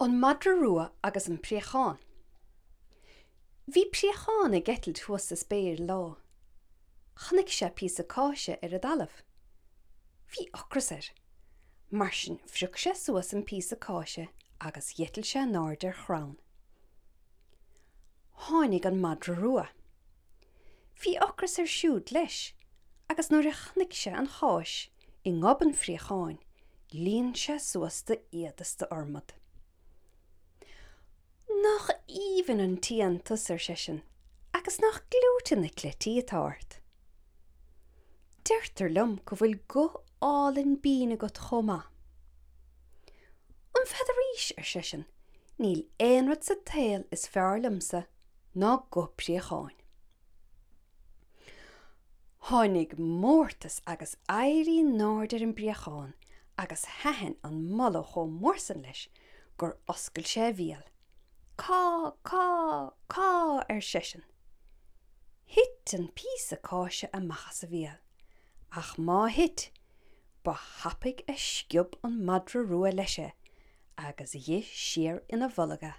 An Madra Rua agus an Préachán. Bhí préachán ag eitilt thuas sa spéir lá. Chonaic sé píosa cáise ar an dtalamh. Bhí ocras air. Mar sin phrioc sé suas an píosa cáise agus d'eitil sé in airde ar chrann. Tháinig an madra rua. Bhí ocras air siúd leis agus nuair a chonaic sé an cháis i ngob an phréacháin líon sé suas d'fhiad is d'fhormad. Nach aoibhinn an t-éan tusa, ar seisean, agus nach gleoite na cleití atá ort. Deirtear liom go bhfuil guth álainn binn agat chomh maith. An bhfeadaraís, ar seisean, níl aon rud sa tsaol is fearr liomsa ná guth préacháin. Tháinig mórtas agus éirí in airde ar an bpréachán agus thaitin an moladh chomh mór san leis gur oscail sé a bhéal. Cá, cá, cá, ar seisean. Thit an píosa cáise amach as a bhéal, ach má thit, ba thapaidh a sciob an madra rua leis é agus dhith siar ina bholg é.